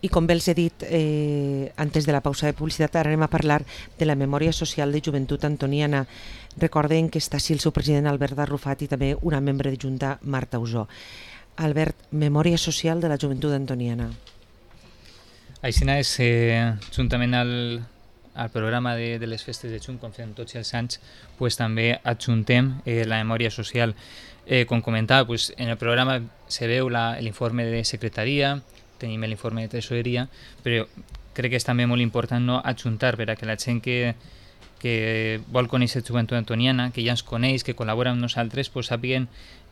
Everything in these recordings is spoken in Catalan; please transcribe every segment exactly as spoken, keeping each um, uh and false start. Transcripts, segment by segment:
I com bé els he dit eh, antes de la pausa de publicitat, ara anem a parlar de la memòria social de Joventut Antoniana. Recorden que està així el seu president Albert Arrufat i també una membre de Junta, Marta Usó. Albert, memòria social de la Joventut Antoniana. Així és, eh, juntament al, al programa de, de les festes de juny, com fem tots els anys, pues, també adjuntem eh, la memòria social. Eh, com comentava, pues, en el programa se veu l'informe de secretaria, tenim l'informe de tresoreria, però crec que és també molt important no adjuntar per a que la gent que, que vol conèixer Joventut Antoniana, que ja ens coneix, que col·labora amb nosaltres, pues, sàpiguen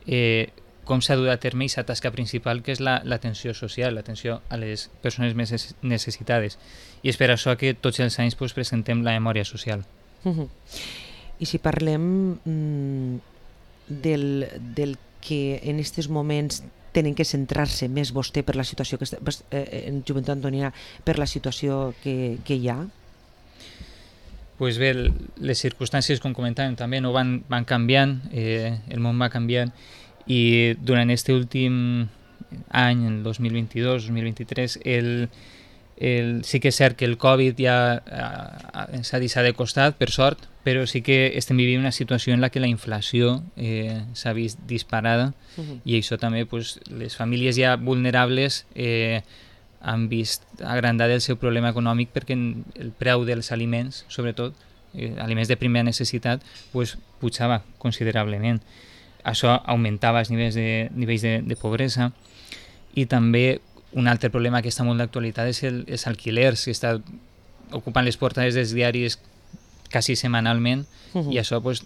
eh, com s'ha dut a terme aquesta tasca principal, que és l'atenció la, social, l'atenció a les persones més necessitades. I és per això que tots els anys pues, presentem la memòria social. Uh -huh. I si parlem mm, del, del que en aquests moments tenen que centrar-se més vostè per la situació que està, eh, en Joventut Antoniana, per la situació que, que hi ha? Pues bé, les circumstàncies, com comentàvem, també no van, van canviant, eh, el món va canviant, i durant aquest últim any, el dos mil vint-i-dos dos mil vint-i-tres, el, el, sí que és cert que el Covid ja eh, s'ha deixat de costat, per sort, però sí que estem vivint una situació en la que la inflació eh, s'ha vist disparada, uh -huh. i això també pues, les famílies ja vulnerables eh, han vist agrandat el seu problema econòmic perquè el preu dels aliments, sobretot eh, aliments de primera necessitat, pues, pujava considerablement. Això augmentava els nivells de, nivells de, de pobresa, i també un altre problema que està molt d'actualitat és el, els alquilers, que està ocupant les portades dels diaris quasi setmanalment, uh -huh. i això pues,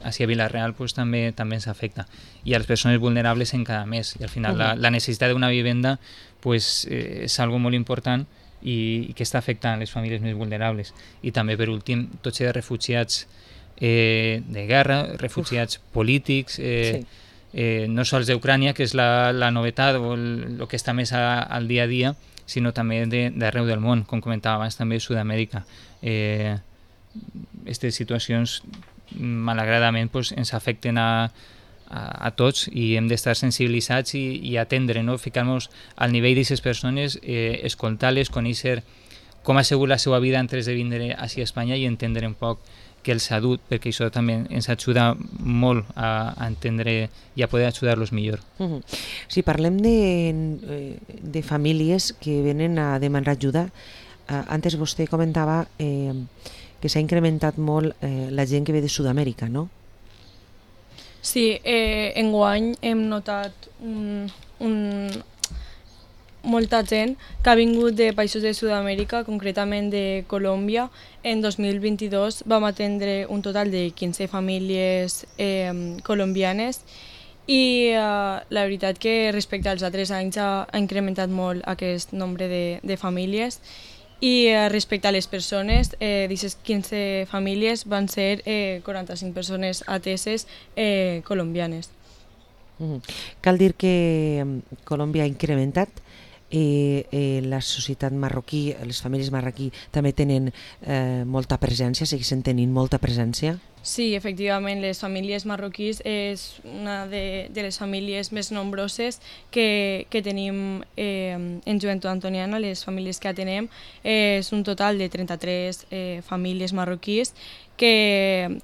així a Vila-real pues, també també ens afecta, i a les persones vulnerables encara més, i al final uh -huh. la, la necessitat d'una vivenda pues, eh, és algo molt important i, i que està afectant les famílies més vulnerables. I també, per últim, tots els refugiats eh, de guerra, refugiats Uf. polítics, eh, sí. eh, no sols d'Ucrània, que és la, la novetat o el, el que està més a, al dia a dia, sinó també d'arreu de, del món, com comentava abans, també Sud-amèrica. Eh, aquestes situacions malauradament pues, ens afecten a, a, a tots, i hem d'estar sensibilitzats i, i atendre, no? Ficar-nos al nivell d'aquestes persones, eh, escoltar-les, conèixer com ha sigut la seva vida antes de vindre a Espanya i entendre un poc que els ha dut, perquè això també ens ajuda molt a, a entendre i a poder ajudar-los millor. Uh -huh. Si parlem de, de famílies que venen a demanar ajuda, uh, antes vostè comentava eh, que s'ha incrementat molt eh, la gent que ve de Sud-amèrica, no? Sí, eh, enguany hem notat un, un, molta gent que ha vingut de països de Sud-amèrica, concretament de Colòmbia. En dos mil vint-i-dos vam atendre un total de quinze famílies eh, colombianes, i eh, la veritat que respecte als altres anys ha, ha incrementat molt aquest nombre de, de famílies. I eh, respecte a les persones, eh, d'aquestes quinze famílies van ser eh, quaranta-cinc persones ateses eh, colombianes. Mm. Cal dir que Colòmbia ha incrementat, eh, eh, la societat marroquí, les famílies marroquí també tenen eh, molta presència, segueixen tenint molta presència? Sí, efectivament, les famílies marroquís és una de, de les famílies més nombroses que, que tenim eh, en Joventut Antoniana. Les famílies que atenem eh, és un total de trenta-tres eh, famílies marroquís, que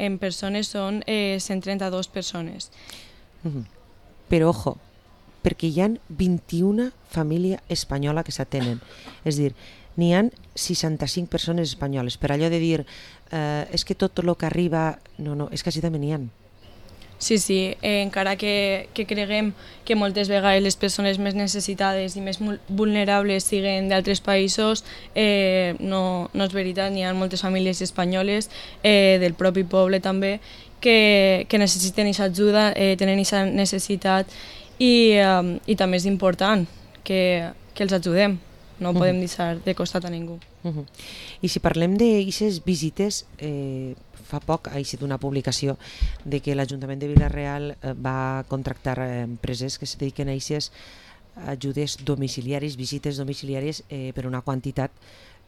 en persones són eh, cent trenta-dues persones. Mm-hmm. Però, ojo, perquè hi ha vint-i-una famílies espanyoles que s'atenen. És a dir, n'hi ha seixanta-cinc persones espanyoles. Per allò de dir, eh, és que tot el que arriba... No, no, és que així també n'hi ha. Sí, sí, eh, encara que, que creguem que moltes vegades les persones més necessitades i més vulnerables siguen d'altres països, eh, no, no és veritat. N'hi ha moltes famílies espanyoles, eh, del propi poble també, que, que necessiten aquesta ajuda, eh, tenen aquesta necessitat, i, eh, i també és important que, que els ajudem. No podem uh -huh. deixar de costat a ningú. Uh -huh. I si parlem d'aquestes visites, eh, fa poc ha eixit una publicació de que l'Ajuntament de Vila-real eh, va contractar eh, empreses que se dediquen a aquestes ajudes domiciliaris, visites domiciliàries eh, per una quantitat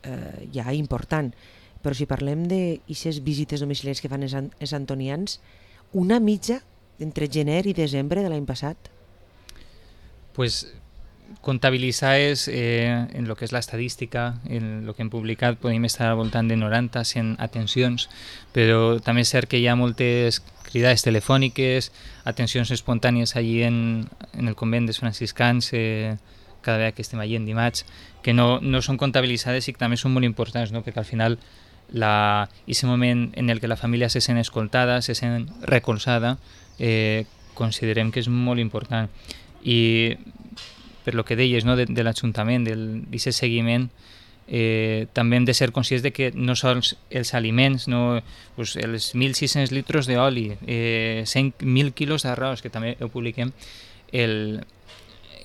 eh, ja important. Però si parlem d'aquestes visites domiciliàries que fan els, els antonians, una mitja entre gener i desembre de l'any passat? Pues comptabilitzades eh, en el que és l'estadística, en el que hem publicat, podem estar al voltant de noranta cent atencions, però també és cert que hi ha moltes cridades telefòniques, atencions espontànies allí en, en el convent dels franciscans, eh, cada vegada que estem allí en dimarts, que no, no són comptabilitzades i que també són molt importants, no? Perquè al final la, ese moment en el que la família se sent escoltada, se sent recolzada, eh, considerem que és molt important. I per lo que deies, no, de, de l'Ajuntament, d'aquest seguiment, eh, també hem de ser conscients de que no sols els aliments, no, pues els mil sis-cents litres d'oli, eh, cent mil quilos d'arròs, que també ho publiquem, el,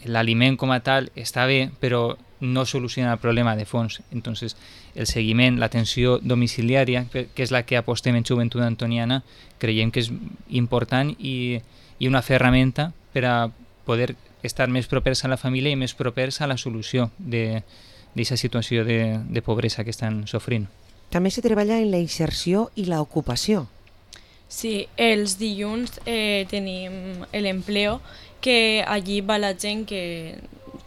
l'aliment com a tal està bé, però no soluciona el problema de fons. Entonces, el seguiment, l'atenció domiciliària, que és la que apostem en Joventut Antoniana, creiem que és important i, i una ferramenta per a poder estar més propers a la família i més propers a la solució d'aquesta situació de, de pobresa que estan sofrint. També se treballa en la inserció i l'ocupació. Sí, els dilluns eh, tenim l'empleo, que allí va la gent que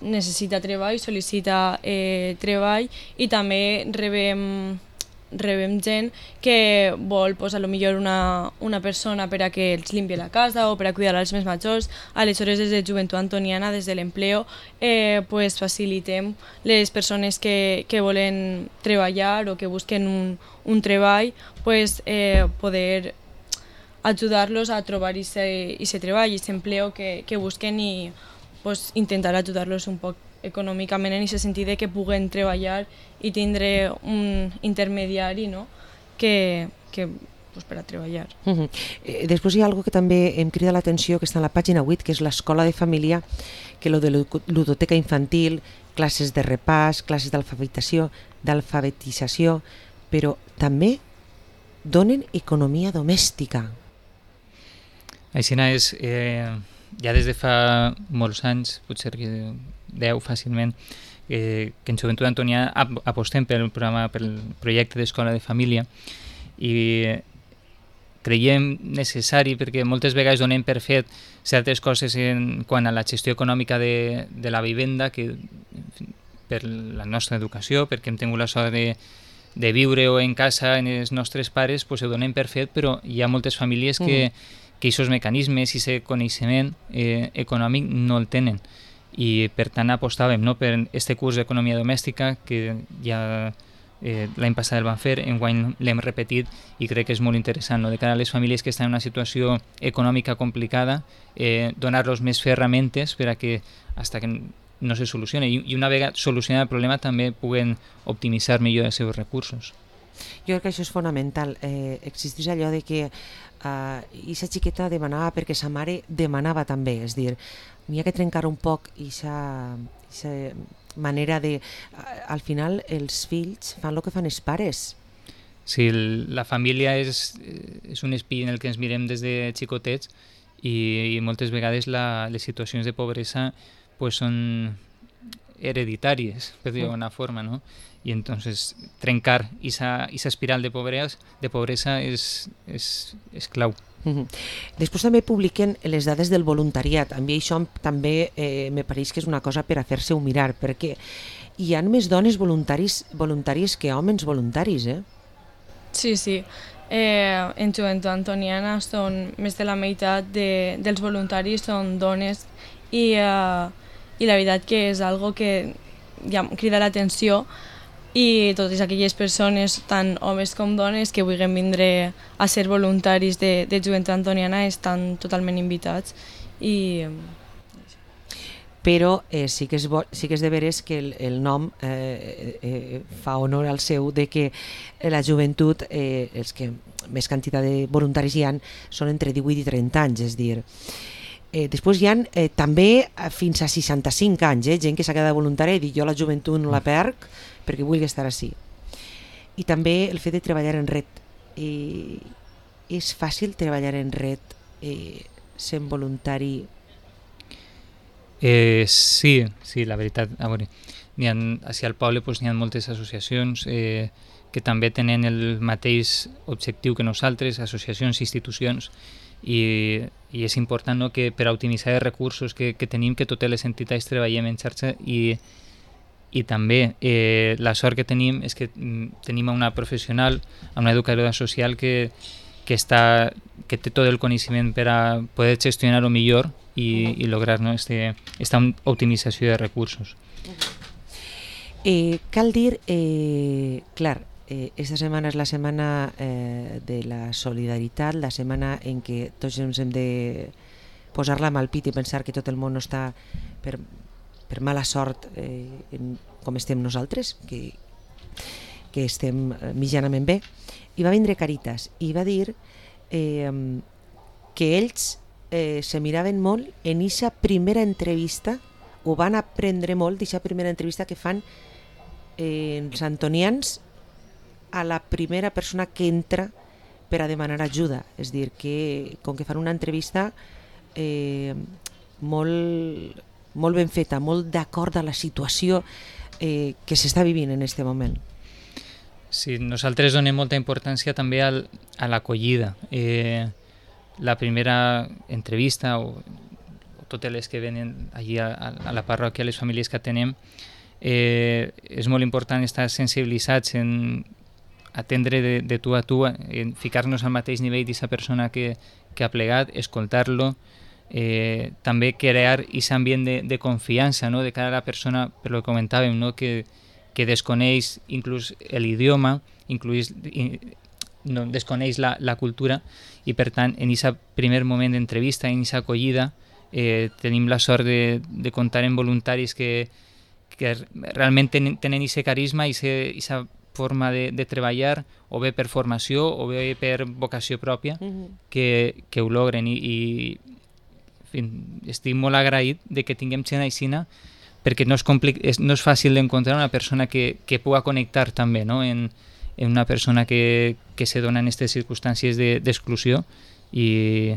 necessita treball, sol·licita eh, treball, i també rebem, rebem gent que vol pues, a lo millor una, una persona per a que els limpie la casa o per a cuidar als més majors. Aleshores, des de Joventut Antoniana, des de l'empleo, eh, pues, facilitem les persones que, que volen treballar o que busquen un, un treball, pues, eh, poder ajudar-los a trobar aquest treball, aquest empleo que, que busquen i pues, intentar ajudar-los un poc econòmicament en aquest sentit de que puguen treballar i tindre un intermediari, no? que, que pues, per a treballar. Uh -huh. eh, després hi ha algo que també em crida l'atenció, que està en la pàgina vuit, que és l'escola de família, que lo de ludoteca infantil, classes de repàs, classes d'alfabetització, d'alfabetització, però també donen economia domèstica. Així és, eh, ja des de fa molts anys, potser que deu fàcilment, eh, que en Joventut Antoniana ap apostem pel programa, pel projecte d'escola de família, i creiem necessari perquè moltes vegades donem per fet certes coses en quant a la gestió econòmica de, de la vivenda, que per la nostra educació, perquè hem tingut la sort de, de viure o en casa en els nostres pares, pues ho donem per fet, però hi ha moltes famílies que mm. que aquests mecanismes i aquest coneixement eh, econòmic no el tenen, i per tant apostàvem, no, per aquest curs d'economia domèstica que ja eh, l'any passat el vam fer, enguany l'hem repetit i crec que és molt interessant, no? De cara a les famílies que estan en una situació econòmica complicada, eh, donar-los més ferramentes per a que fins que no se solucioni, i una vegada solucionat el problema també puguen optimitzar millor els seus recursos. Jo crec que això és fonamental. Eh, existeix allò de que Uh, i sa xiqueta demanava perquè sa mare demanava també, és dir, n'hi ha que trencar un poc aquesta manera de, uh, al final els fills fan el que fan els pares. Sí, la família és, és un espill en el que ens mirem des de xicotets, i, i moltes vegades la, les situacions de pobresa pues, són hereditàries, per dir d'alguna forma, no? I entonces trencar esa, esa espiral de pobresa, de pobresa és, és, és clau. Uh-huh. Després també publiquen les dades del voluntariat. A mi això també eh, me pareix que és una cosa per a fer-se-ho mirar, perquè hi ha més dones voluntaris, voluntaris que homes voluntaris, eh? Sí, sí. Eh, en Joventut Antoniana són més de la meitat de, dels voluntaris són dones, i, eh, i la veritat que és algo que ja crida l'atenció, i totes aquelles persones, tant homes com dones, que vulguin vindre a ser voluntaris de, de Joventut Antoniana estan totalment invitats. I... Però eh, sí, que és bo, sí que és de veres que el, el nom eh, eh, fa honor al seu, de que la joventut, eh, els que més quantitat de voluntaris hi ha, són entre divuit i trenta anys, és dir... Eh, després hi ha eh, també fins a seixanta-cinc anys, eh, gent que s'ha quedat voluntària i dir jo la joventut no la perc perquè vull estar així. I també el fet de treballar en red. Eh, és fàcil treballar en red eh, sent voluntari? Eh, sí, sí, la veritat. A veure, n'hi ha, així al poble pues, n'hi ha moltes associacions eh, que també tenen el mateix objectiu que nosaltres, associacions i institucions, i, i és important, no?, que per a optimitzar els recursos que, que tenim, que totes les entitats treballem en xarxa i, i també eh, la sort que tenim és que mm, tenim una professional, una educadora social que, que, està, que té tot el coneixement per a poder gestionar-ho millor i, i lograr, no?, este, esta optimització de recursos. Eh, cal dir, eh, clar, eh, esta setmana és la setmana eh, de la solidaritat, la setmana en què tots ens hem de posar la mà al pit i pensar que tot el món no està per, per mala sort eh, en, com estem nosaltres, que, que estem mitjanament bé. I va vindre Caritas i va dir eh, que ells eh, se miraven molt en aquesta primera entrevista, o van aprendre molt d'aquesta primera entrevista que fan eh, els antonians a la primera persona que entra per a demanar ajuda. És dir, que com que fan una entrevista eh, molt, molt ben feta, molt d'acord a la situació eh, que s'està vivint en aquest moment. Sí, nosaltres donem molta importància també al, a l'acollida. Eh, la primera entrevista o, o totes les que venen allí a, a la parròquia, les famílies que atenem, eh, és molt important estar sensibilitzats en atendre de, de tu a tu, en ficar-nos al mateix nivell d'aquesta persona que, que ha plegat, escoltar-lo, eh, també crear aquest ambient de, de confiança, no?, de cara a la persona, per lo que comentàvem, no?, que, que desconeix inclús l'idioma, inclús no, desconeix la, la cultura, i per tant en aquest primer moment d'entrevista, en aquesta acollida, eh, tenim la sort de, de comptar amb voluntaris que, que realment tenen aquest carisma i aquesta forma de, de treballar, o bé per formació o bé per vocació pròpia, uh-huh. que, que ho logren, i, i en fi, estic molt agraït de que tinguem gent aixina, perquè no és, complic, és, no és fàcil d'encontrar una persona que, que pugui connectar també, no?, en, en una persona que, que se dona en aquestes circumstàncies d'exclusió, i,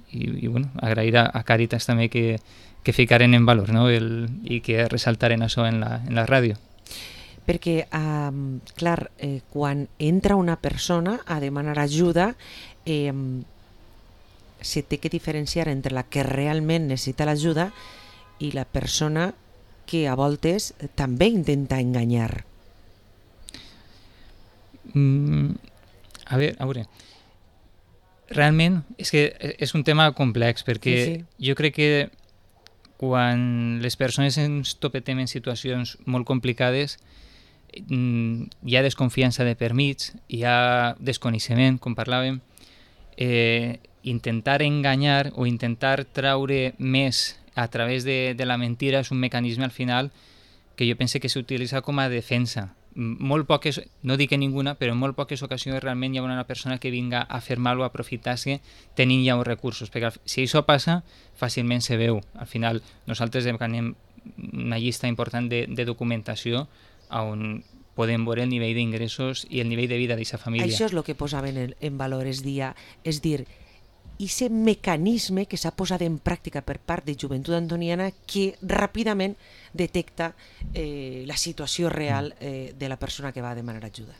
i, i bueno, agrair a, a Càritas també que, que ficaren en valor, no?, el, i que ressaltaren això en la, en la ràdio. Perquè, um, clar, eh, quan entra una persona a demanar ajuda, eh, se té que diferenciar entre la que realment necessita l'ajuda i la persona que a voltes també intenta enganyar. Mm, a veure, a veure, realment és que és un tema complex, perquè sí, sí. jo crec que quan les persones ens topetem en situacions molt complicades, hi ha desconfiança de per mig, hi ha desconeixement, com parlàvem, eh, intentar enganyar o intentar traure més a través de, de la mentira és un mecanisme al final que jo penso que s'utilitza com a defensa. Molt poques, no dic que ninguna, però en molt poques ocasions realment hi ha una persona que vinga a fer mal o a aprofitar-se tenint ja uns recursos, perquè si això passa fàcilment se veu. Al final nosaltres demanem una llista important de, de documentació on podem veure el nivell d'ingressos i el nivell de vida d'aquesta família. Això és el que posaven en, en valor, és dir, és dir, aquest mecanisme que s'ha posat en pràctica per part de Joventut Antoniana que ràpidament detecta eh, la situació real eh, de la persona que va a demanar ajuda.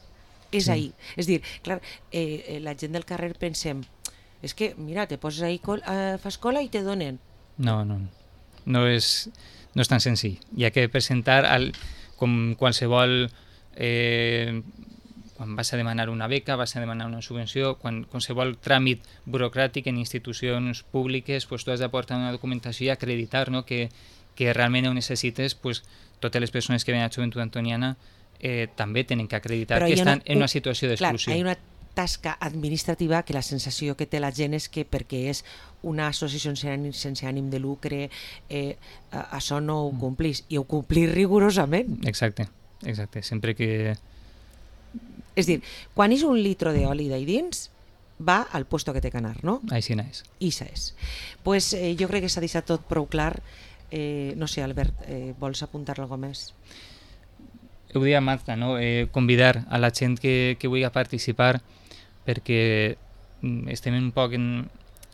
És sí. ahí. És dir, clar, eh, la gent del carrer pensem, és que, mira, te poses ahí, eh, fas cola i te donen. No, no, no és, no és tan senzill. Hi ha que presentar el, com qualsevol... Eh, quan vas a demanar una beca, vas a demanar una subvenció, quan qualsevol tràmit burocràtic en institucions públiques, pues, tu has d'aportar una documentació i acreditar, no?, que, que realment ho necessites, pues, totes les persones que venen a Joventut Antoniana eh, també tenen que acreditar Però que estan una, en una situació d'exclusió. Clar, hi ha una tasca administrativa que la sensació que té la gent és que perquè és una associació sense ànim de lucre, eh, això no ho complís, i ho complís rigorosament. Exacte, exacte, sempre que... És dir, quan és un litro d'oli d'ahí dins, va al puesto que té que anar, no? Així és. Ixa és. Pues, eh, jo crec que s'ha deixat tot prou clar. Eh, no sé, Albert, eh, vols apuntar alguna cosa més? Ho deia Marta, no? eh, convidar a la gent que, que vulgui participar, perquè estem un poc en...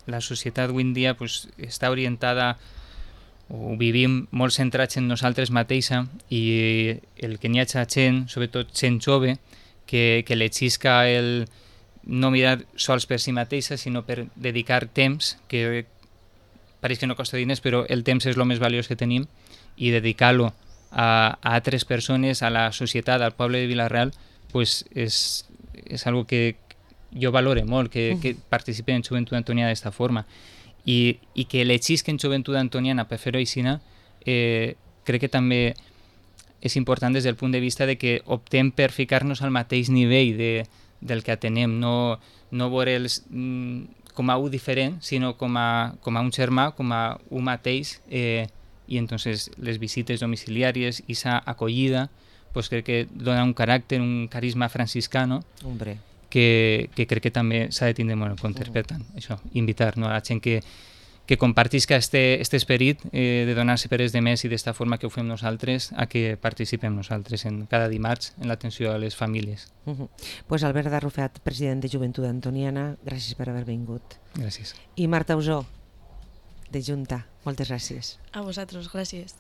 La societat avui en dia pues, està orientada, o vivim molt centrats en nosaltres mateixa, i el que n'hi ha gent, sobretot gent jove, que, que l'exisca el no mirar sols per si mateixa, sinó per dedicar temps, que pareix que no costa diners, però el temps és el més valiós que tenim, i dedicar-lo a, a altres persones, a la societat, al poble de Vila-real, pues és, és algo que jo valore molt, que, que participe en Joventut Antoniana d'esta forma. I, i que elegís que en Joventut Antoniana per fer-ho així, eh, crec que també és important des del punt de vista de que optem per ficar-nos al mateix nivell de, del que atenem, no, no veure'ls mm, com a un diferent, sinó com a, com a un germà, com a un mateix, eh, i entonces les visites domiciliàries i sa acollida, pues crec que dona un caràcter, un carisma franciscano, Hombre. que, que crec que també s'ha de tindre molt en compte. Per tant, això, invitar, no, a la gent que, que compartisca este, este esperit eh, de donar-se per els demés i d'esta forma que ho fem nosaltres, a que participem nosaltres en cada dimarts en l'atenció a les famílies. Uh -huh. Pues Albert Garrufat, president de Joventut Antoniana, gràcies per haver vingut. Gràcies. I Marta Usó, de Junta, moltes gràcies. A vosaltres, gràcies.